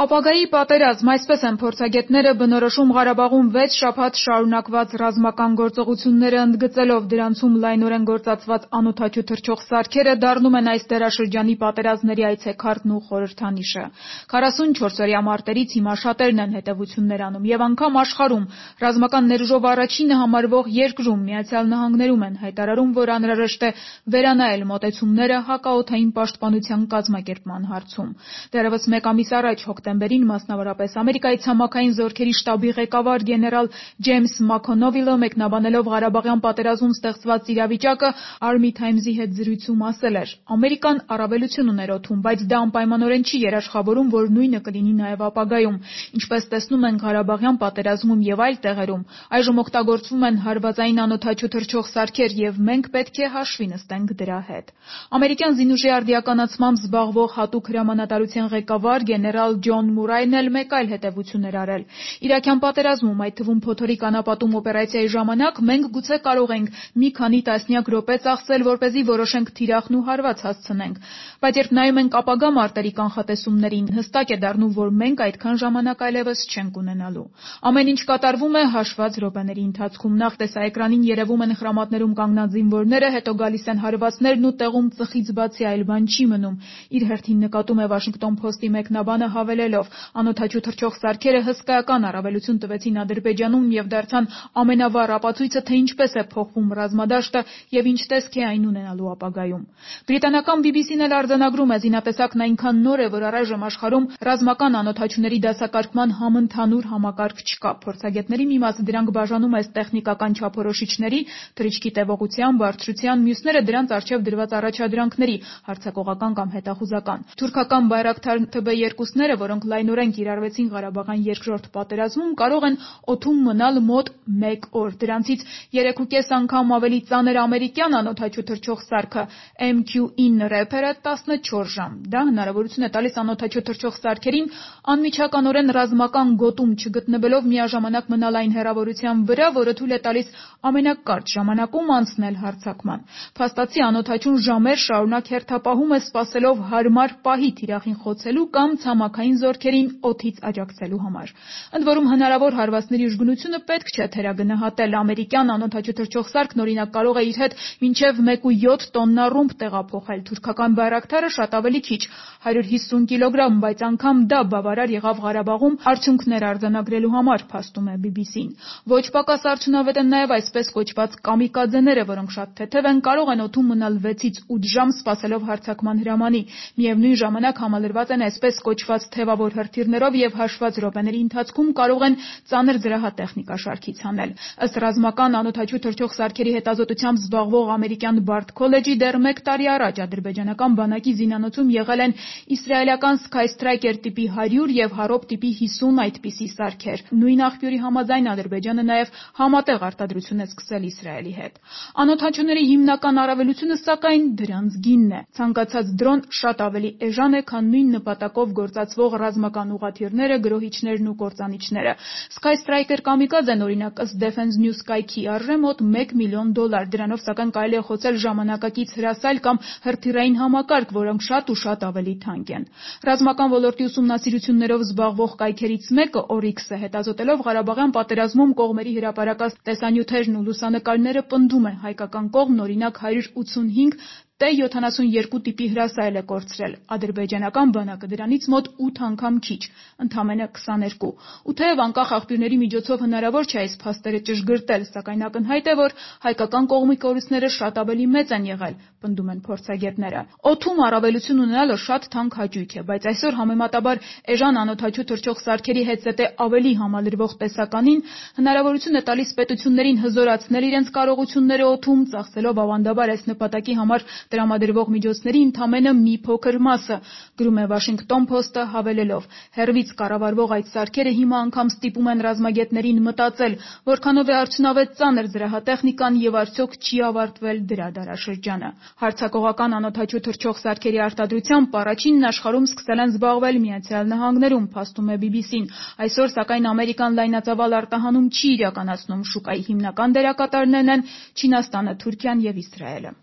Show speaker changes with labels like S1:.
S1: Ապագայի պատերազմ, այսպես են փորձագետները բնորոշում Ղարաբաղում 6 շաբաթ շարունակված ռազմական գործողությունները, ընդգծելով դրանցում լայնորեն գործածված անօդաչու թռչող սարքերը դառնում են այս դարաշրջանի պատերազմների այցեքարտն ու խորհրդանիշը։ 44-օրյա մարտերից հիմա շատերն են հետևություններ անում եւ անգամ աշխարհում ռազմական ներուժով առաջինը համարվող երկրում ԱՄՆ-ում են հայտարարում, որ անհրաժեշտ է վերանայել մոտեցումները հակաօդային պաշտպանության կազմակերպման հարցում։ Դեռևս մեկ ամիս առաջ հոկտեմբերին, մասնավորապես Ամերիկայի ցամաքային զորքերի շտաբի ղեկավար գեներալ Ջեյմս Մաքոնովիլը մեկնաբանելով Ղարաբաղյան պատերազմում ստեղծված իրավիճակը Army Times-ի հետ զրույցում ասել էր. «Ամերիկան առավելություն ուներ օդում, բայց դա անպայմանորեն չի երաշխավորում, որ նույնը կլինի նաև ապագայում։ Ինչպես տեսնում ենք Ղարաբաղյան պատերազմում եւ այլ տեղերում, այժմ օգտագործվում են հարվածային անօդաչու թռչող սարքեր եւ մենք պետք է հաշվի նստենք դրա հետ»։ Ամերիկյան զինուժի արդիականացմամբ զբաղվող հատուկ հրամանատարության ղեկավար գեներալ Ջոն Մուրայն էլ մեկ այլ հետևություն էր արել. «Իրաքյան պատերազմում, այդ թվում փոթորիկ անապատում օպերացիայի ժամանակ, մենք գուցե կարող ենք մի քանի տասնյակ րոպե ծախսել, որպեսզի որոշենք թիրախն ու հարված հասցնենք, բայց երբ նայում ենք ապագա մարտերի կանխատեսումներին, հստակ է դառնում, որ մենք այդքան ժամանակ այլևս չենք ունենալու։ Ամեն ինչ կատարվում է հաշված րոպեների ընթացքում։ Նախ տեսաէկրանին երևում են խրամատներում կանգնած զինվորները, հետո գալիս են հարվածներն ու տեղում ծխից բացի այլ բան չի մնում», իր հերթին նկատում է Washington Post-ի մեկնաբանը, հավելելով. «Անօդաչու թռչող սարքերը հսկայական առավելություն տվեցին Ադրբեջանում եւ դարձան ամենավառ ապացույցը, թե ինչպես է փոխվում ռազմադաշտը եւ ինչ տեսք է այն ունենալու ապագայում»։ Բրիտանական BBC-ն էլ արձանագրում է. «Զինատեսակն այնքան նոր է, որ առայժմ աշխարհում ռազմական անօդաչուների դասակարգման համընդհանուր համակարգ չկա։ Փորձագետների մի մասը դրանք բաժանում է տեխնիկական չափորոշիչների, թռիչքի տևողության, բարձրության, մյուսները դրանց առջև դրված առաջադրանքների, հարձակողական կամ հետախուզական։ Թուրքական Բայրակթար TB2-ները, որոնք լայնորեն կիրառվեցին Ղարաբաղյան երկրորդ պատերազմում, կարող են օդում մնալ մոտ 1 օր։ Դրանցից 3.5 անգամ ավելի ծանր ամերիկյան անօդաչու թռչող սարքը MQ-9 Reaper-ը 14 ժամ։ Դա հնարավորություն է տալիս անօդաչու թռչող սարքերին անմիջականորեն ռազմական գոտում չգտնվելով միաժամանակ մնալ այն հեռավորության վրա, որը թույլ է տալիս ամենակարճ ժամանակում անցնել հարձակման։ Փաստացի անօդաչուն ժամեր շարունակ հերթապահում է սպասելով հարմար պահի թիրախին խոցելու կամ ցամաքային զորքերին օդից աջակցելու համար։ Ընդ որում հնարավոր հարվածների ուժգնությունը պետք չէ թերագնահատել։ Ամերիկյան անօդաչու թռչող սարքն օրինակ կարող է իր հետ մինչև 1.7 տոննա ռումբ տեղափոխել։ Թուրքական Բայրակթարը շատ ավելի քիչ՝ 150 կիլոգրամ, բայց անգամ դա բավարար եղավ Ղարաբաղում արդյունքներ արձանագրելու համար, փաստում է BBC-ն։ Ոչ պակաս արդյունավետ են նաև այսպես կոչված կամիկաձեները, որոնք շատ թեթև են, կարող են օդում մնալ 6-ից 8 ժամ սպասելով հարձակման հրամանի։ Միևնույն ժամանակ համալրված են այսպես կոչված թևավոր հրթիռներով եւ հաշված րոպեների ընթացքում կարող են ծանր զրահատեխնիկա շարքից հանել։ Ըստ ռազմական անօդաչու թռչող սարքերի հետազոտությամբ զբաղվող ամերիկյան Բարդ քոլեջի դեռ 1 տարի առաջ ադրբեջանական բանակի զինանոցում եղել են իսրայելական Skystriker տիպի 100 եւ Harop տիպի 50 այդպիսի սարքեր։ Նույն աղբյուրի համաձայն Ադրբեջանը նաեւ համատեղ արտադրություն է սկսել Իսրայելի հետ։ Անօդաչուների հիմնական առավելությունը սակայն դրանց գինն է։ Ցանկացած դրոն շատ ավելի էժան է, քան նույն նպատակով գործածվող ռազմական ուղղաթիռները, գրոհիչներն ու կործանիչները։ Skystriker կամիկաձեն օրինակ ըստ Defense News կայքի արժե մոտ $1 միլիոն։ Դրանով սակայն կարելի է խոցել ժամանակակից հրասայլ կամ հրթիռային համակարգ, որոնք շատ ու շատ ավելի թանկ են։ Ռազմական ոլորտի ուսումնասիրություններով զբաղվող կայքերից մեկը Oryx-ը հետազոտելով Ղարաբաղյան պատերազմում կողմերի հրապարակած տեսանյութերն ու լուսանկարները պնդում է հայկական կողմն օրինակ 185 T-72 տիպի հրասայլ է կորցրել, ադրբեջանական բանակը դրանից մոտ 8 անգամ քիչ, ընդամենը 22։ Ու թեև անկախ աղբյուրների միջոցով հնարավոր չէ այս փաստերը ճշգրտել, սակայն ակնհայտ է, որ հայկական կողմի կորուստները շատ ավելի մեծ են եղել, պնդում են փորձագետները։ Օդում առավելություն ունենալը շատ թանկ հաճույք է, բայց այսօր համեմատաբար էժան անօդաչու թռչող սարքերի հետ ավելի համալրվող տեսականին հնարավորություն է տալիս պետություններին հզորացնել իրենց կարողությունները օդում, ծախսելով ավանդաբար այս նպատակի համար տրամադրվող միջոցների ընդամենը մի փոքր մասը, գրում է Washington Post-ը հավելելով. հեռվից կառավարվող այդ սարքերը հիմա անգամ ստիպում են ռազմագետներին մտածել, որքանով է արդյունավետ ծանր զրահատեխնիկան եւ արդյոք չի ավարտվել դրա դարաշրջանը։ Հարձակողական անօդաչու թռչող սարքերի արտադրությամբ առաջինն աշխարհում սկսել են զբաղվել Միացյալ Նահանգներում, փաստում է BBC-ն։ Այսօր սակայն Ամերիկան լայնածավալ արտահանում չի իրականացնում, շուկայի հիմնական դերակատարներն են Չինաստանը, Թուրքիան եւ Իսրայելը։